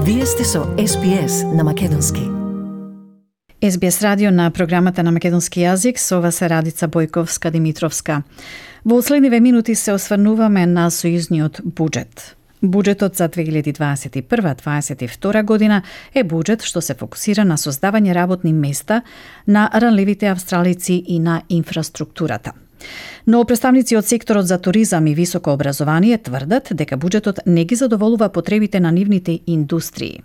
Вие сте со SBS на македонски. SBS радио на програмата на македонски јазик, со вас е Радица Бојковска-Димитровска. Во следниве минути се осврнуваме на сојузниот буџет. Буџетот за 2021-2022 година е буџет што се фокусира на создавање работни места на ранливите австралици и на инфраструктурата. Но представници од секторот за туризам и високо образование тврдат дека буџетот не ги задоволува потребите на нивните индустрии.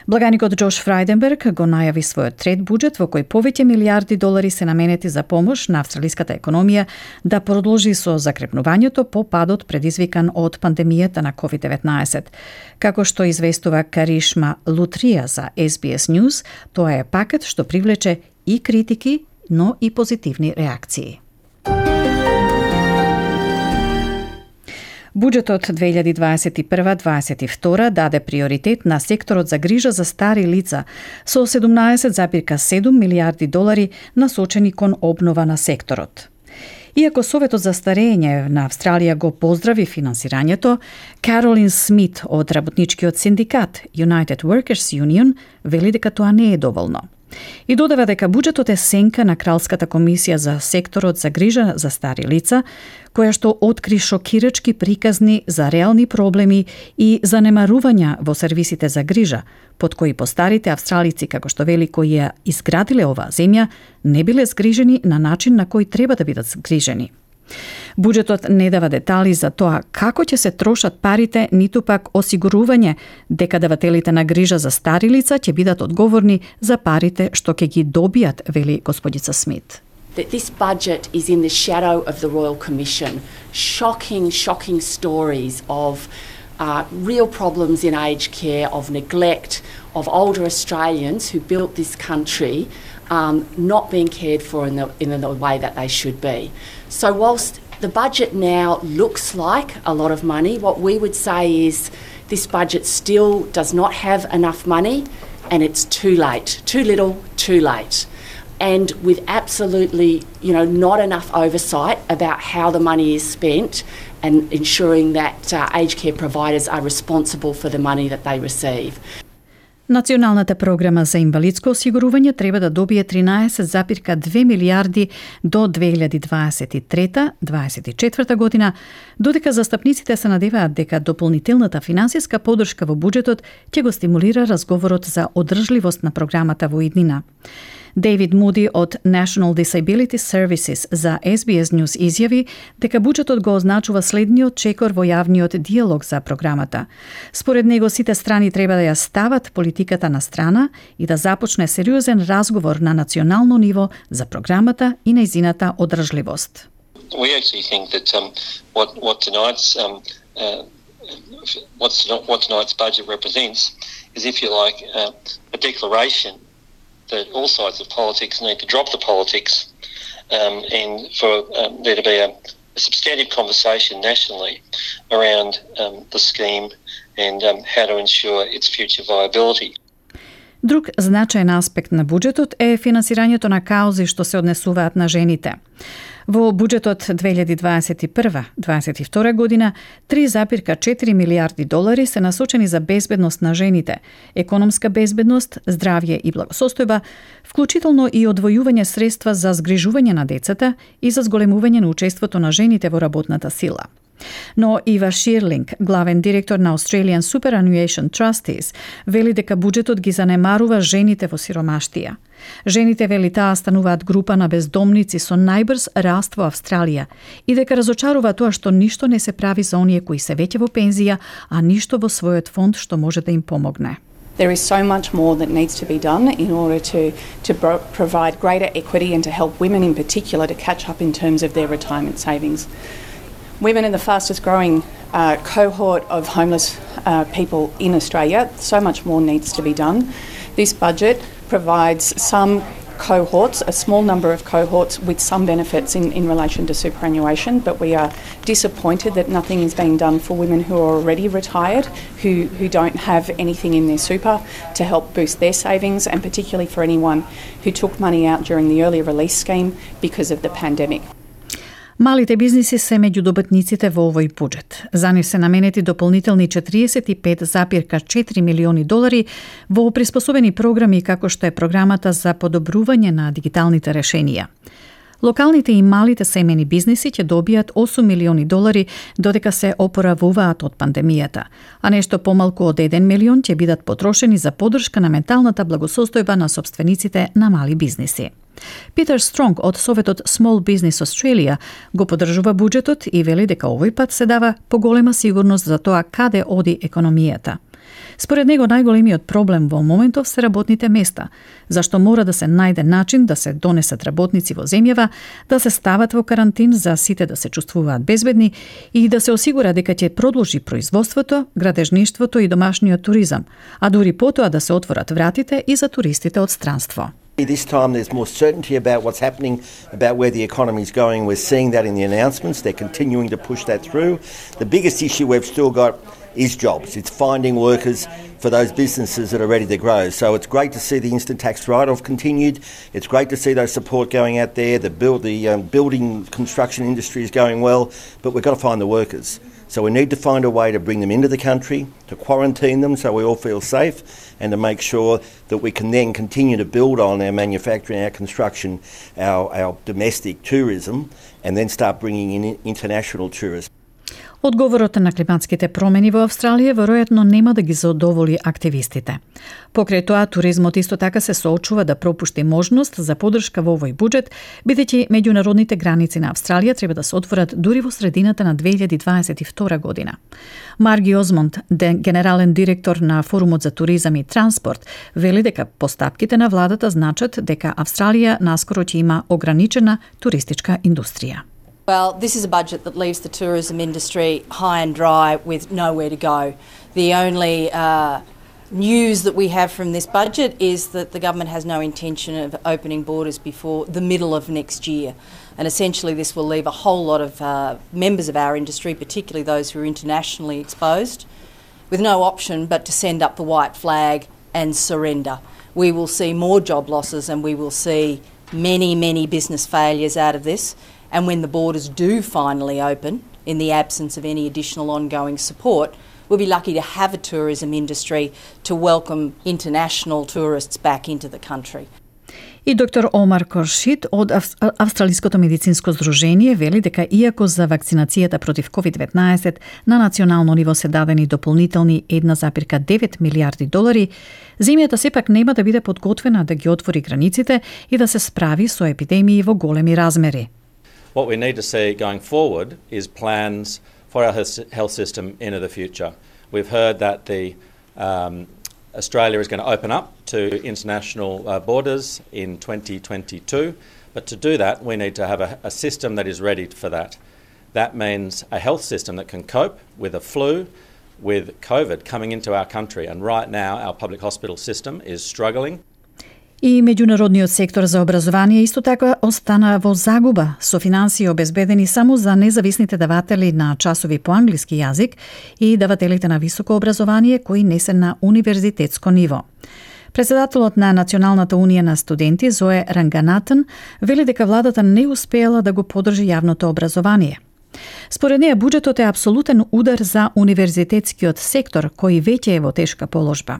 Благаникот Џош Фрајденберг го најави својот трет буџет во кој повеќе милиарди долари се наменети за помош на австралиската економија да продолжи со закрепнувањето по падот предизвикан од пандемијата на COVID-19. Како што известува Каришма Лутрија за SBS News, тоа е пакет што привлече и критики, но и позитивни реакции. Буџетот 2021-2022 даде приоритет на секторот за грижа за стари лица со 17,7 милиарди долари насочени кон обнова на секторот. Иако Советот за старење на Австралија го поздрави финансирањето, Каролин Смит од работничкиот синдикат United Workers Union вели дека тоа не е доволно. И додава дека буџетот е сенка на Кралската комисија за секторот за грижа за стари лица, која што откри шокирачки приказни за реални проблеми и занемарувања во сервисите за грижа, под кои постарите австралици, како што вели, кои ја изградиле оваа земја, не биле згрижени на начин на кој треба да бидат згрижени. Буџетот не дава детали за тоа како ќе се трошат парите, ниту пак осигурување дека давателите на грижа за стари лица ќе бидат одговорни за парите што ќе ги добијат, вели господица Смит. This budget is in the shadow of the Royal Commission. Shocking stories of real problems in aged care, of neglect, of older Australians who built this country not being cared for in the way that they should be. So whilst the budget now looks like a lot of money, what we would say is this budget still does not have enough money, and it's too late. Too little, too late. And with absolutely, not enough oversight about how the money is spent and ensuring that aged care providers are responsible for the money that they receive. Националната програма за инвалидско осигурување треба да добие 13,2 милиарди до 2023-2024 година, додека застапниците се надеваат дека дополнителната финансиска поддршка во буџетот ќе го стимулира разговорот за одржливост на програмата во иднина. Дейвид Муди од National Disability Services за SBS News изјави дека буџетот го означува следниот чекор во јавниот диалог за програмата. Според него сите страни треба да ја стават политиката на страна и да започне сериозен разговор на национално ниво за програмата и нејзината одржливост. We actually think that what tonight's budget represents is, if you like, a declaration that all sides of politics need to drop the politics and for there to be a substantive conversation nationally around the scheme and how to ensure its future viability. Друг значаен аспект на буџетот е финансирањето на каузи што се однесуваат на жените. Во буџетот 2021-2022 година 3,4 милиарди долари се насочени за безбедност на жените, економска безбедност, здравје и благосостојба, вклучително и одвојување средства за згрижување на децата и за зголемување на учеството на жените во работната сила. Но Ива Ширлинг, главен директор на Australian Superannuation Trustees, вели дека буџетот ги занемарува жените во сиромаштија. Жените, вели таа, стануваат група на бездомници со најбрз раст во Австралија и дека разочарува тоа што ништо не се прави за оние кои се веќе во пензија, а ништо во својот фонд што може да им помогне. There is so much more that needs to be done in order to provide greater equity and to help women in particular to catch up in terms of their retirement savings. Women are the fastest growing cohort of homeless people in Australia. So much more needs to be done. This budget provides some cohorts, a small number of cohorts with some benefits in relation to superannuation, but we are disappointed that nothing is being done for women who are already retired, who don't have anything in their super to help boost their savings, and particularly for anyone who took money out during the early release scheme because of the pandemic. Малите бизниси се меѓу добитниците во овој буџет. За нив се наменети дополнителни 45,4 милиони долари во приспособени програми како што е програмата за подобрување на дигиталните решенија. Локалните и малите семени бизниси ќе добијат 8 милиони долари додека се опоравуваат од пандемијата, а нешто помалку од 1 милион ќе бидат потрошени за поддршка на менталната благосостојба на сопствениците на мали бизниси. Питер Стронг од Советот Small Business Australia го поддржува буџетот и вели дека овој пат се дава поголема сигурност за тоа каде оди економијата. Според него најголемиот проблем во моментов се работните места, зашто мора да се најде начин да се донесат работници во земјава, да се стават во карантин за сите да се чувствуваат безбедни и да се осигура дека ќе продолжи производството, градежништвото и домашниот туризам, а дури потоа да се отворат вратите и за туристите од странство. This time there's more certainty about what's happening, about where the economy is going. We're seeing that in the announcements. They're continuing to push that through. The biggest issue we've still got is jobs. It's finding workers for those businesses that are ready to grow. So it's great to see the instant tax write-off continued. It's great to see those support going out there. The building construction industry is going well, but we've got to find the workers. So we need to find a way to bring them into the country, to quarantine them so we all feel safe, and to make sure that we can then continue to build on our manufacturing, our construction, our domestic tourism, and then start bringing in international tourists. Одговорот на климатските промени во Австралија веројатно нема да ги задоволи активистите. Покрај тоа, туризмот исто така се соочува да пропушти можност за поддршка во овој буџет, бидејќи меѓународните граници на Австралија треба да се отворат дури во средината на 2022 година. Марги Озмонд, генерален директор на Форумот за туризам и транспорт, вели дека постапките на владата значат дека Австралија наскоро ќе има ограничена туристичка индустрија. Well, this is a budget that leaves the tourism industry high and dry with nowhere to go. The only news that we have from this budget is that the government has no intention of opening borders before the middle of next year. And essentially this will leave a whole lot of members of our industry, particularly those who are internationally exposed, with no option but to send up the white flag and surrender. We will see more job losses and we will see many business failures out of this. And when the borders do finally open, in the absence of any additional ongoing support, we'll be lucky to have a tourism industry to welcome international tourists back into the country. И доктор Омар Коршид од Австралиското медицинско здружение вели дека иако за вакцинацијата против COVID-19 на национално ниво се дадени дополнителни 1,9 милиарди долари, земјата сепак нема да биде подготвена да ги отвори границите и да се справи со епидемии во големи размери. What we need to see going forward is plans for our health system into the future. We've heard that Australia is going to open up to international borders in 2022, but to do that we need to have a system that is ready for that. That means a health system that can cope with a flu, with COVID coming into our country, and right now our public hospital system is struggling. И меѓународниот сектор за образование исто така остана во загуба, со финансии обезбедени само за независните даватели на часови по англиски јазик и давателите на високо образование кои не се на универзитетско ниво. Председателот на Националната унија на студенти Зое Ранганатан вели дека владата не успеала да го поддржи јавното образование. Според неја, буџетот е апсолутен удар за универзитетскиот сектор, кој веќе е во тешка положба.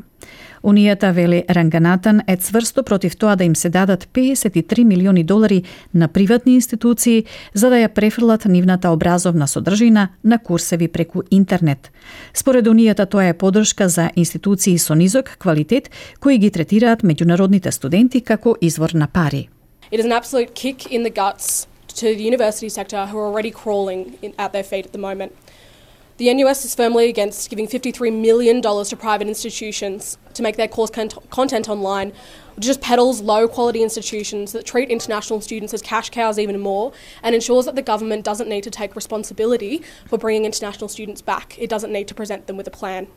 Унијата, вели Ранганатан, е цврсто против тоа да им се дадат 53 милиони долари на приватни институции за да ја префрлат нивната образовна содржина на курсеви преку интернет. Според Унијата, тоа е поддршка за институции со низок квалитет кои ги третираат меѓународните студенти како извор на пари. It is an absolute kick in the guts to the university sector who are already crawling at their feet at the moment. The NUS is firmly against giving $53 million to private institutions to make their course content online, which just peddles low-quality institutions that treat international students as cash cows even more and ensures that the government doesn't need to take responsibility for bringing international students back. It doesn't need to present them with a plan.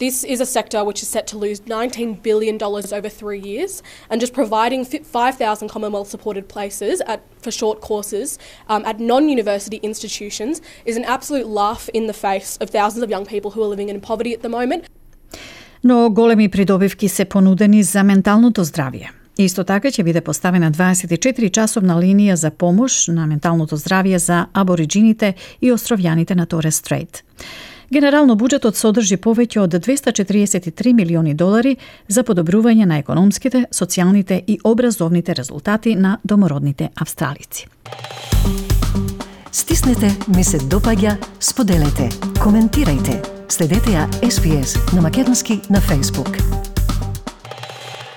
This is a sector which is set to lose $19 billion over 3 years, and just providing 5,000 Commonwealth-supported places for short courses at non-university institutions is an absolute laugh in the face of thousands of young people who are living in poverty at the moment. Но големи придобивки се понудени за менталното здравје. Исто така ќе биде поставена 24-часовна линија за помош на менталното здравје за абориджините и островјаните на Торес Стрейт. Генерално буџетот содржи повеќе од $243 милиони за подобрување на економските, социјалните и образовните резултати на домородните австралици. Стиснете, ми се допаѓа, споделете, коментирајте. Следете ја SPS на Македонски на Facebook.